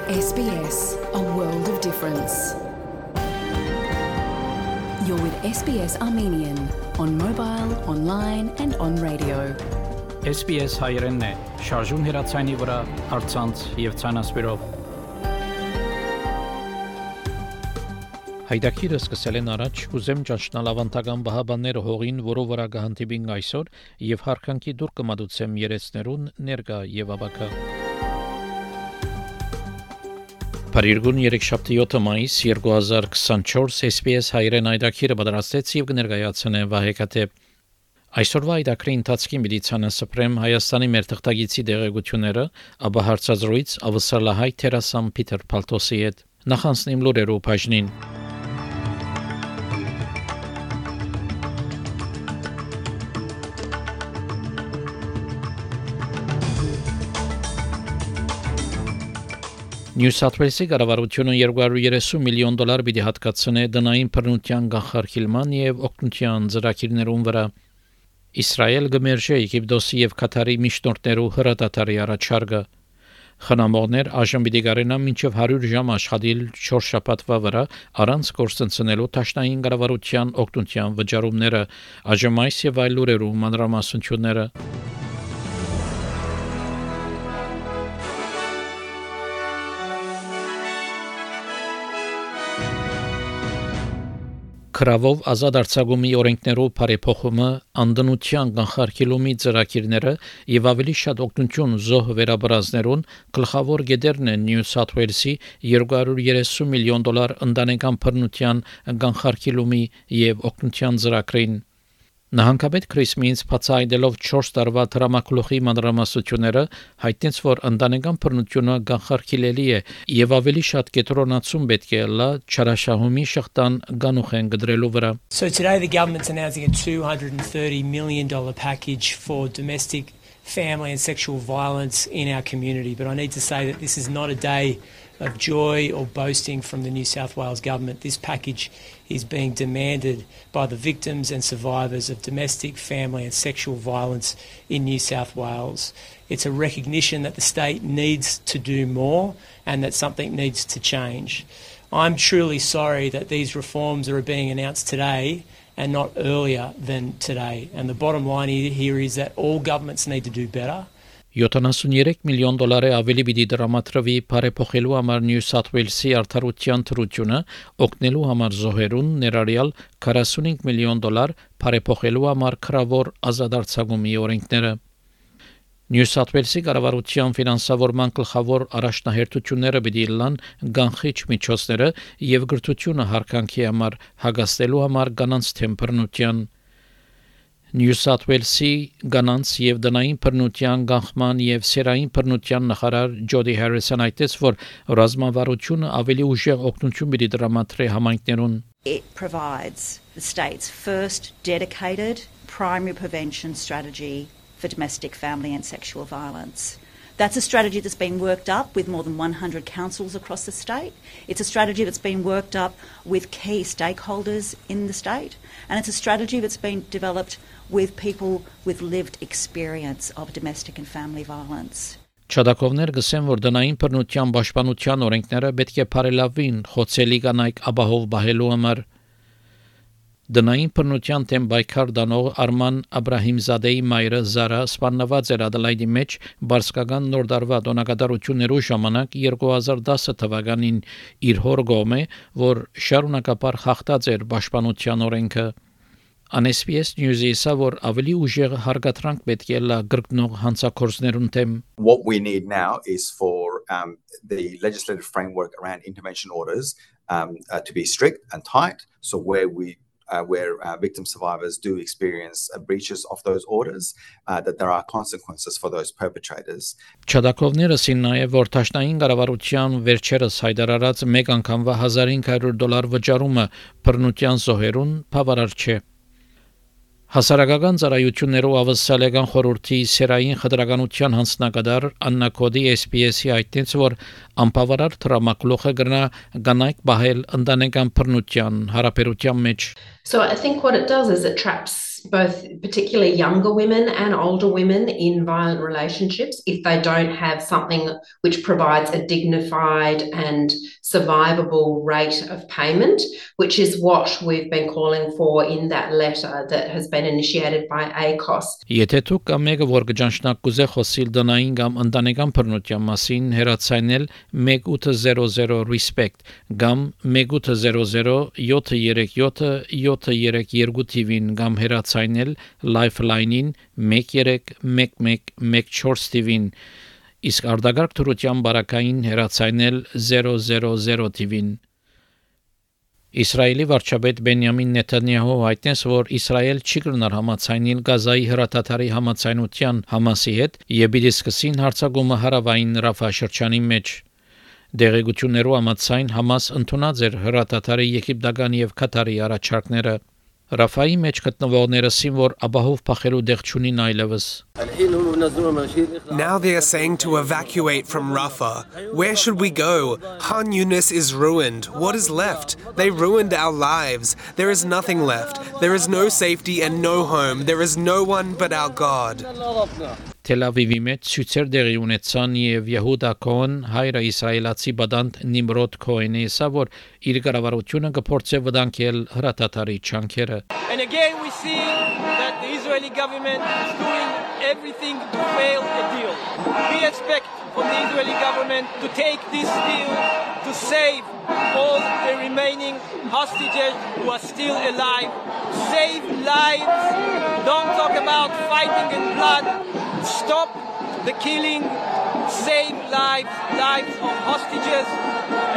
SBS, a world of difference. You're with SBS Armenian on mobile, online and on radio. SBS հայերենն է, շարժուն հեռացայինի վրա, առցանց եւ ցանասպիրով։ Հայդակիրը սկսել են առաջ, կուզեմ ճանչնալ ավանդական բահաբանները հողին, որով վրա կհանդիպին այսօր եւ հարկանքի դուր կմատուցեմ երեցներուն ներկա եւ ավակա։ Փարիգուն 3-7 մայիս 2024 SBS հայերեն այդակիրը պատրաստեց եւ կներկայացնե Վահեկատե։ Այսօրվա այդակրի ընթացքին պիտի ցանասպրեմ Հայաստանի մեր թղթագիտի դեղեցությունները, ապա հարցազրույց ավսալահայ Թերասան Պիտեր Պալտոսի հետ։ Նախանցնիմ լուրերով բաժնին։ Նյու Սաութ Ուելսի կառավարությունը $230 միլիոն պիտի հատկացնե դնային բռնության կանխարգելման եւ օգնության ծրագիրներուն վրա։ Իսրայել գմերժե Եգիպտոսի եւ Կատարի միջնորդներու հրադադարի առաջարկը։ Խնամողներ այժմ պիտի կարենան մինչև 100 ժամ աշխատել 4 շաբաթվա վրա առանց կորցնցնելու դաշնային կառավարության օգնության վճարումները, այժմ այս եւ այլ լուրերու մանրամասնությունները։ Քրավով ազատ արձակումի օրենքներով բարեփոխումը, անդնության կանխարգելումի ծրագիրները եւ ավելի շատ օգնություն զոհ վերաբրազներուն գլխավոր գեդերն են Նյու Սաութ Ուելսի $230 միլիոն ընտանեկան բռնության կանխարգելումի եւ օգնության ծրագրին։ Նահանգապետ Քրիս Մինց բացահայտելով 4 տարվա դրամակլուխի մանրամասնությունները հայտնեց, որ ընտանեկան բռնությունը կանխարգելելի է եւ ավելի շատ կենտրոնացում պետք է լա չարաշահումի շղթան գանուխեն գդրելու վրա։ So today the government's announcing a $230 million package for domestic, family and sexual violence in our community, but I need to say that this is not a day of joy or boasting from the New South Wales government. This package is being demanded by the victims and survivors of domestic, family and sexual violence in New South Wales. It's a recognition that the state needs to do more and that something needs to change. I'm truly sorry that these reforms are being announced today and not earlier than today. And the bottom line here is that all governments need to do better. $73 միլիոն ավելի պիտի դրամատրվի բարեփոխելու համար Նյու Սաութ Ուելսի արդարության թրությունը, օգնելու համար զոհերուն, ներառյալ $45 միլիոն բարեփոխելու համար քրավոր ազատ արձակումի օրենքները։ Նյու Սաութ Ուելսի կառավարության ֆինանսավորման գլխավոր առաջնահերթությունները պիտի լան կանխիչ միջոցները եւ գրթությունը հարկանքի համար հագաստելու համար կանանց թեմ բռնության։ Նյու Սաութ Ուելսի կանանց եւ դնային բռնության կանխման եւ սերային բռնության նախարար Ջոդի Հարիսն այդտես, որ ռազմավարությունը ավելի ուժեղ օգնություն պիտի դրամատրի համայնքներուն։ It provides the state's first dedicated primary prevention strategy for domestic, family and sexual violence. That's a strategy that's been worked up with more than 100 councils across the state. It's a strategy that's been worked up with key stakeholders in the state. And it's a strategy that's been developed with people with lived experience of domestic and family violence. Չադակովներ գսեն, որ դնային բռնության պաշտպանության օրենքները պետք է բարելավվին խոցելի կանայք ապահով բահելու համար։ Դնային բռնության դեմ պայքար դանող Արման Աբրահիմզադեի մայրը Զարա սպանված էր Ադելայդի մեջ բարսկական նոր տարվա տոնակատարություններու ժամանակ 2010 թվականին իր հոր գոմե, որ շարունակապար խախտած էր պաշտպանության օրենքը։ SBS News-ի ասա, որ ավելի ուժեղ հարգատրանք պետք է լա գրկնող հանցակործներուն դեմ։ What we need now is for the legislative framework around intervention orders to be strict and tight, so where victim survivors do experience breaches of those orders, that there are consequences for those perpetrators. Չադակովները սին նաև որ դաշնային կառավարության վերջերս հայտարարած մեկ անգամվա $1,500 վճարումը բռնության զոհերուն բավարար չէ։ Հասարակական ծառայություններով ավսալեգան խորհրդի սերային խտրականության հանձնակատար Աննա Կոդի SPS-ի այդտենց, որ անբավարար դրամակլուխը կրնա կանայք բահել ընտանեկան բռնության հարաբերության մեջ։ So I think what it does is it traps both particularly younger women and older women in violent relationships if they don't have something which provides a dignified and survivable rate of payment, which is what we've been calling for in that letter that has been initiated by ACOS. Եթե դուք կամ մեկը որ գճանշնակ կուզե խոսիլ դնային կամ ընտանեկան բռնության մասին հեռացանել 1800 respect կամ 1800 737 732 TV-ին կամ հեռացանել Lifeline-ին 131114 TV-ին իսկ արտագաղթ թրության բարակային հեռացանել 000 TV-ին Իսրայելի վարչապետ Բենյամին Նեթանյահու հայտնեց, որ Իսրայել չի կրնար համաձայնել Գազայի հրատատարի համաձայնության Համասի հետ եւ պիտի սկսին հարձակումը հարավային Ռաֆա շրջանի մեջ Դեղեցություններով համաձայն Համաս ընդունած էր հրատատարի եգիպտական եւ Կատարի առաջարկները Ռաֆայի մեջ գտնվողները սիմվոր ապահով փախելու դեղ չունին այլևս Now they are saying to evacuate from Rafah. Where should we go? Khan Yunis is ruined. What is left? They ruined our lives. There is nothing left. There is no safety and no home. There is no one but our God. Թել Ավիվի մեջ ցույցեր դեղի ունեցան եւ Եհուդա Քոհն հայրը իսրայելացի բադանտ Նիմրոդ Քոհենի ասա որ իր կառավարությունը կփորձի վտանգել հրատատարի չանքերը And again we see that the Israeli government is doing everything to fail a deal. We expect from the Israeli government to take this deal to save all the remaining hostages who are still alive. Save lives. Don't talk about fighting and blood. Stop the killing. Save lives, lives of hostages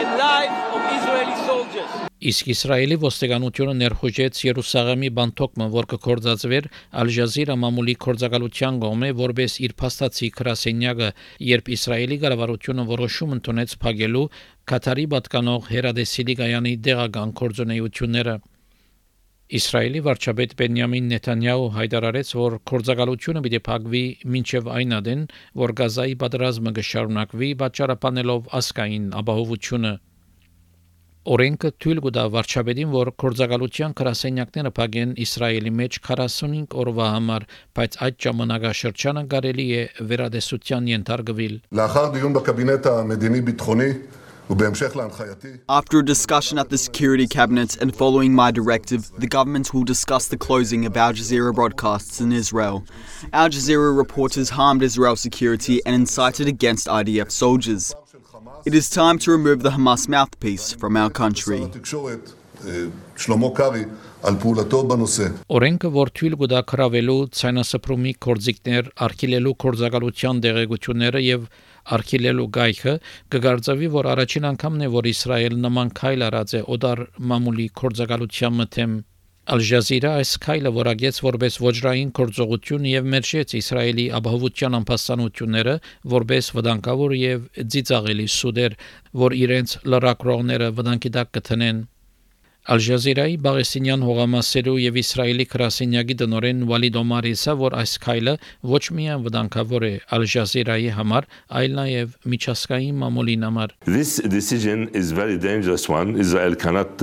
and lives of Israeli soldiers. Իսկ Իսրայելի ոստիկանությունը ներխուժեց Երուսաղեմի բանտոկը, որ կգործածվեր Ալ-Ջազիրա մամուլի կորցակալության կողմէ, որպես իր փաստացի գրասենյակը, երբ Իսրայելի կառավարությունը որոշում ընդունեց փակելու Կատարի պատկանող հերադեսիլի գայանի դեղական կորձունեությունները։ Իսրայելի վարչապետ Բենյամին Նեթանյահու հայտարարեց, որ կորցակալությունը պիտի փակվի մինչև այն ադեն, որ Գազայի պատերազմը կշարունակվի, պատճառաբանելով ազգային ապահովությունը։ Օրենքը թույլ կտա վարչապետին, որ կորցակալության գրասենյակները փակեն Իսրայելի մեջ 45 օրվա համար, բայց այդ ժամանակաշրջանը կարելի է վերադեսության ենթարկվել։ לאחר דיון בקבינט המדיני-ביטחוני After a discussion at the Security Cabinet and following my directive, the government will discuss the closing of Al Jazeera broadcasts in Israel. Al Jazeera reporters harmed Israel's security and incited against IDF soldiers. It is time to remove the Hamas mouthpiece from our country. Օրենքը, որ թույլ կտա քրավելու ցայնասփռումի կորձիկներ, արգելելու կորցակալության դեղեցությունները եւ արգելելու գայքը, կգարձավի, որ առաջին անգամն է, որ Իսրայել նման քայլ արած է օդար մամուլի կորցակալության մթեմ։ Ալ-Ջազիրա այս քայլը որակեց որպես ոչռային կորցողություն եւ մերժեց Իսրայելի ապահովության անփաստանությունները որպես վտանգավոր եւ ծիծաղելի սուդեր, որ իրենց լրակրողները վտանգի տակ կտնեն։ Ալ-Ջազիրայի Բաղեսինյան հողամասերու եւ Իսրայելի գրասենյակի տնօրեն Վալիդ Օմարի ասա, որ այս քայլը ոչ միայն վտանգավոր է Ալ-Ջազիրայի համար, այլ նաեւ միջազգային մամուլին համար։ This decision is very dangerous one. Israel cannot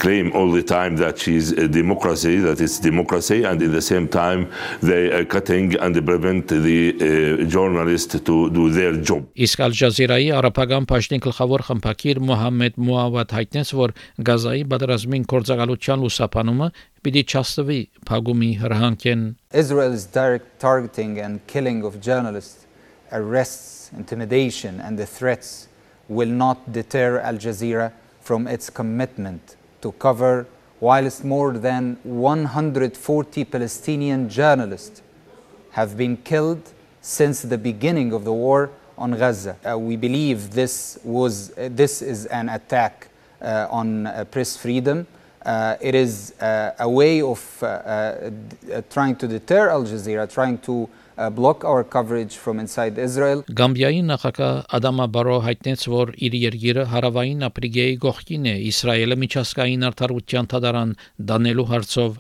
claim all the time that she is a democracy, that it's democracy, and at the same time they are cutting and prevent the journalists to do their job. Իսկ Ալ-Ջազիրայի արաբական պաշտին գլխավոր խմբակիր Մոհամմեդ Մուավադ հայտնեց, որ Գազայի Ռազմին կորցակալության լուսաբանումը պիտի չաստվի փակումի հրահանգեն Israel's direct targeting and killing of journalists, arrests, intimidation and the threats will not deter Al Jazeera from its commitment to cover whilst more than 140 Palestinian journalists have been killed since the beginning of the war on Gaza. We believe this is an attack on press freedom. It is a way of trying to deter Al Jazeera, trying to block our coverage from inside Israel. Գամբիայի նախագահ Ադամա Բարո հայտնեց, որ իր երկիրը հարավային Աֆրիկայի գողքին է Իսրայելը միջազգային արդարության դատարան դանելու հարցով։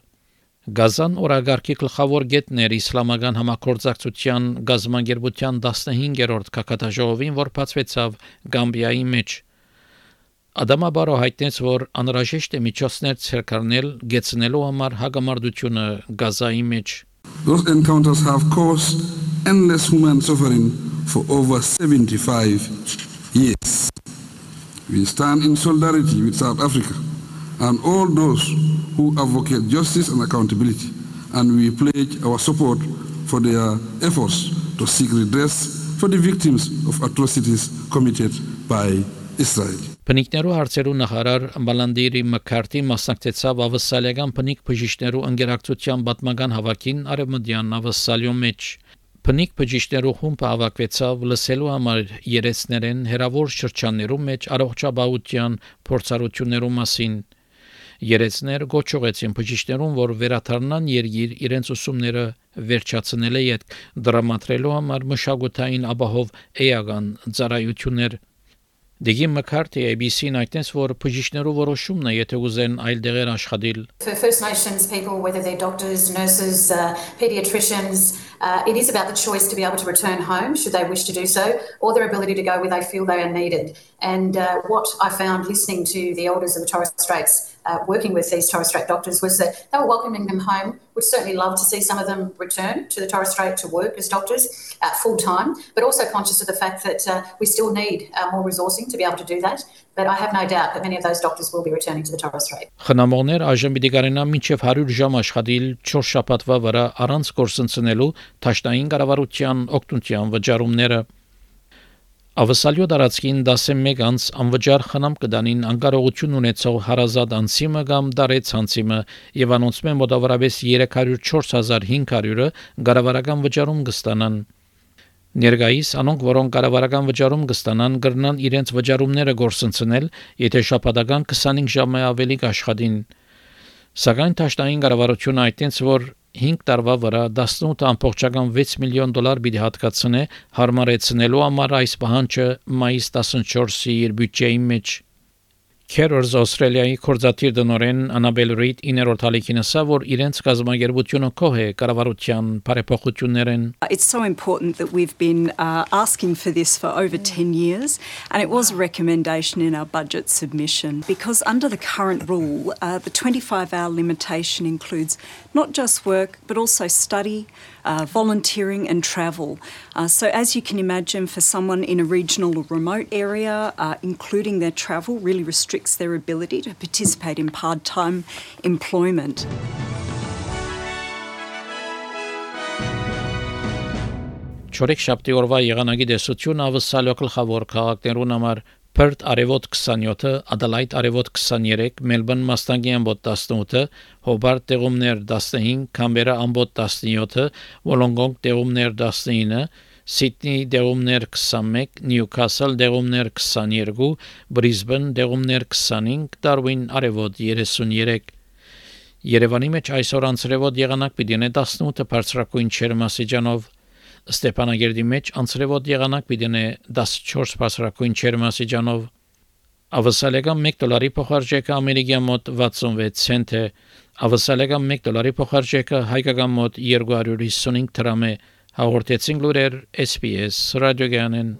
Գազան օրագարկի գլխավոր գետներ իսլամական համագործակցության գազամագերբության 15-րդ կակատաժողովին, որ բացվեցավ Գամբիայի մեջ։ Ադամաբարո հայտնեց, որ անհրաժեշտ է միջոցներ ցերկարնել գեցնելու համար հագամարտությունը Գազայի մեջ. Those encounters have caused endless human suffering for over 75 years. We stand in solidarity with South Africa and all those who advocate justice and accountability, and we pledge our support for their efforts to seek redress for the victims of atrocities committed by Israel. Բնիկներու հարցերու նախարար Բալանդիրի Մակարթի մասնակցեցավ ավսալիական բնիկ բժիշկներու ընկերակցության պատմական հավաքին Արևմտյան Ավսալիո մեջ։ Բնիկ բժիշկներու խումբը հավաքվեցավ լսելու համար երեցներեն հերավոր շրջաններու մեջ առողջապահության փորձառություններու մասին։ Երեցներ գոչողեցին բժիշկներուն, որ վերաթարնան երգիր իրենց ուսումները վերջացնելը յետ դրամատրելու համար մշակութային ապահով էական ծառայություններ։ Դեգի Մակարթի ABC-ն այդտենց որ բժիշկներու որոշումն է, եթե ուզեն այլ դեղեր աշխատել։ For First Nations people, whether they're doctors, nurses, paediatricians, it is about the choice to be able to return home should they wish to do so, or their ability to go where they feel they are needed. And what I found listening to the elders of the Torres Straits, working with these Torres Strait doctors, was that they were welcoming them home. Would certainly love to see some of them return to the Torres Strait to work as doctors full time, but also conscious of the fact that we still need more resourcing to be able to do that. But I have no doubt that many of those doctors will be returning to the Torres Strait. Խնամողներ այժմ պիտի կարենան մինչև 100 ժամ աշխատել 4 շաբաթվա վրա առանց կորսնցնելու թաշնային կառավարության օգնության վճարումները։ Ավսալիո դարածքին 11 անց անվճար խնամ կդանին անկարողություն ունեցող հարազատ անցիմը կամ դարեց անցիմը եւ անոնցմե մոտավորապես 304,500-ը կառավարական վճարում կստանան։ Ներգայիս անոնք, որոնք կառավարական վճարում կստանան, կրնան իրենց վճարումները գործընծնել, եթե շաբաթական 25 ժամ ավելի կաշխատին։ Սակայն թաշնային կառավարությունը այդտենց որ 5 տարվա վրա 18.6 միլիոն դոլար պիտի հատկացնե հարմարեցնելու համար այս պահանջը մայիս 14-ի իր բյուջեի մեջ։ Carers Australia-ի կորզաթիր դնորեն Անաբել Ռիդ 9-րդ հալիքին ասա, որ իրենց կազմակերպությունը կող է կառավարության բարեփոխություններն։ It's so important that we've been asking for this for over 10 years, and it was a recommendation in our budget submission because under the current rule, the 25-hour limitation includes not just work but also study, volunteering and travel. So as you can imagine, for someone in a regional or remote area, including their travel really restricts their ability to participate in part-time employment. Չորեք շաբթի օրվա եղանակի դեսություն ավսալիո գլխավոր քաղաքներուն համար Perth արևոտ 27, Adelaide արևոտ 23, Melbourne մաստանգի ամբոտ 18, Hobart տեղումներ 15, Canberra ամբոտ 17, Wollongong տեղումներ 19, Sydney տեղումներ 21, Newcastle տեղումներ 22, Brisbane տեղումներ 25, Darwin արևոտ 33։ Երևանի մեջ այսօր անցրևոտ եղանակ պիտի ունենա 18 բարձրակույն ջերմաստիճանով, Ստեփանագերդի մեջ անցրևոտ եղանակ պիտի ունենա 14 բարձրակույն ջերմաստիճանով։ Ավսալիական $1 փոխարժեքը ամերիկյան մոտ 66 سنت է։ Ավսալիական $1 փոխարժեքը հայկական մոտ 255 դրամ է։ Հաղորդեցին լուրեր SPS ռադիոգյանեն։